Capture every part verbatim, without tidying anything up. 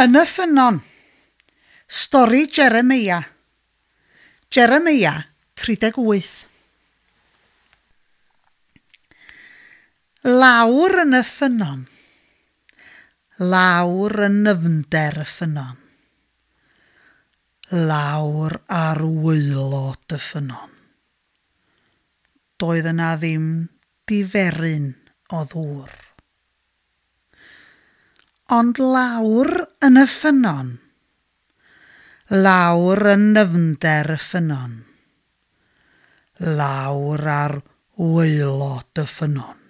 Yn y ffynnon. Stori Jeremia. Jeremia tri deg wyth. Lawr yn y ffynnon. Lawr yn nyfnder y ffynnon. Lawr ar waelod y ffynnon. Doedd yna ddim diferyn o ddŵr. Ond lawr yn y ffynnon, lawr yn nyfnder y ffynnon, lawr ar waelod y ffynnon,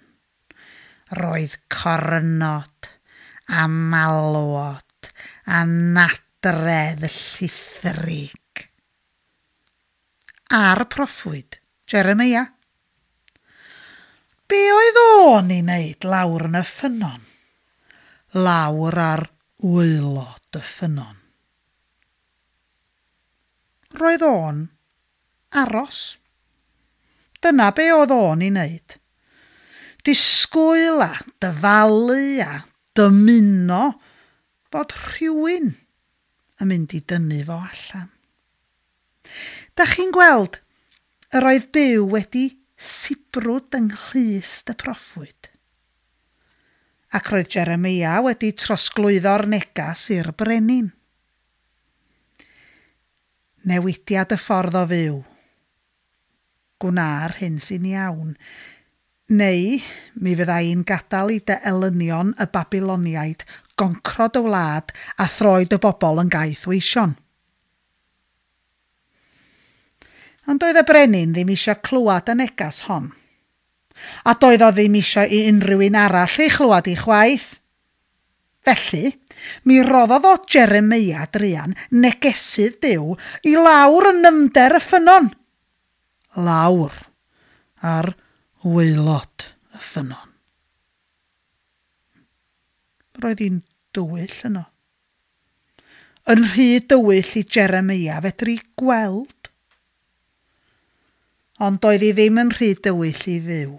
roedd cornod a malwod a nadredd llithrig. A'r proffwyd, Jeremia. Be oedd o'n ei wneud lawr yn y ffynnon? Lawr ar waelod y ffynnon. Roedd o'n aros. Dyna be oedd o'n ei wneud. Disgwyl a dyfalu a dymuno bod rhywun yn mynd i dynnu fo allan. Da chi'n gweld, yr oedd Duw wedi sibrwd yng nghlust y proffwyd. Ac roedd Jeremia wedi trosglwyddo'r negas i'r brenin. Newidiad y ffordd o fyw. Gwna'r hyn sy'n iawn. Neu mi fydda i'n gadael i dy elynion y Babiloniaid goncro dy wlad a throi dy bobl yn gaethweision. Ond doedd y brenin ddim eisiau clywed y negas hon. A doedd o ddim eisiau i unrhyw un arall ei chlywed i chwaith. Felly, mi roddodd o Jeremia druan, negesydd Duw, i lawr yn nyfnder y ffynnon. Lawr ar waelod y ffynnon. Roedd hi'n dywyll yno. Yn rhy dywyll i Jeremia fedru gweld. Ond doedd hi ddim yn rhy dywyll i Dduw.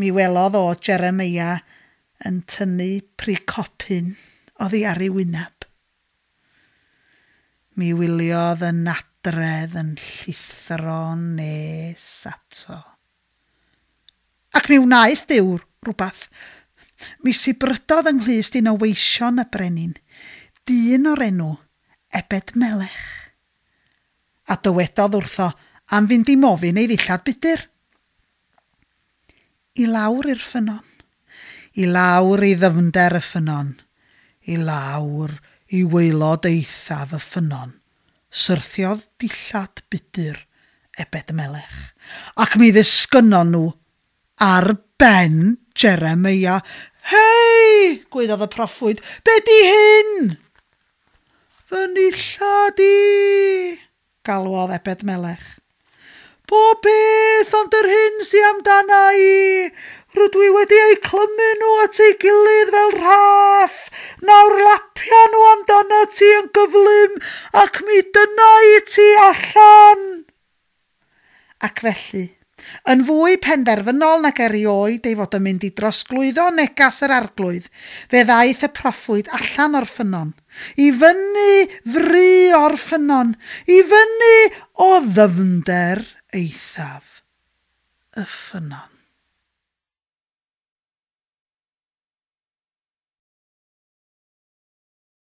Mi welodd o Jeremia yn tynnu pricopyn oddi ar ei wyneb. Mi wyliodd y nadredd yn llithro nes ato. Ac mi wnaeth Duw rhywbeth. Mi sibrydodd yng nghlust un o weision y brenin, dyn o'r enw Ebed Melech. A dywedodd wrtho am fynd i mofyn ei ddillad budur. I lawr i'r ffynnon, i lawr i ddyfnder y ffynnon, i lawr i waelod eithaf y ffynnon, syrthiodd dillad budur Ebed Melech, ac mi ddisgynnon nhw ar ben Jeremia. Hei, gwaeddodd y proffwyd, be di hyn? Fy nillad i, galwodd Ebed Melech. Pob beth ond yr hyn sy amdana i. Rydw i wedi eu clymu nhw at ei gilydd fel rhaff. Nawr lapia nhw amdana ti yn gyflym ac mi dyna i ti allan. Ac felly, yn fwy penderfynol nag erioed ei fod yn mynd i drosglwyddo negas yr arglwydd, fe ddaeth y proffwyd allan o'r ffynnon, i fyny fry o'r ffynnon, i fyny o ddyfnder eithaf y ffynnon.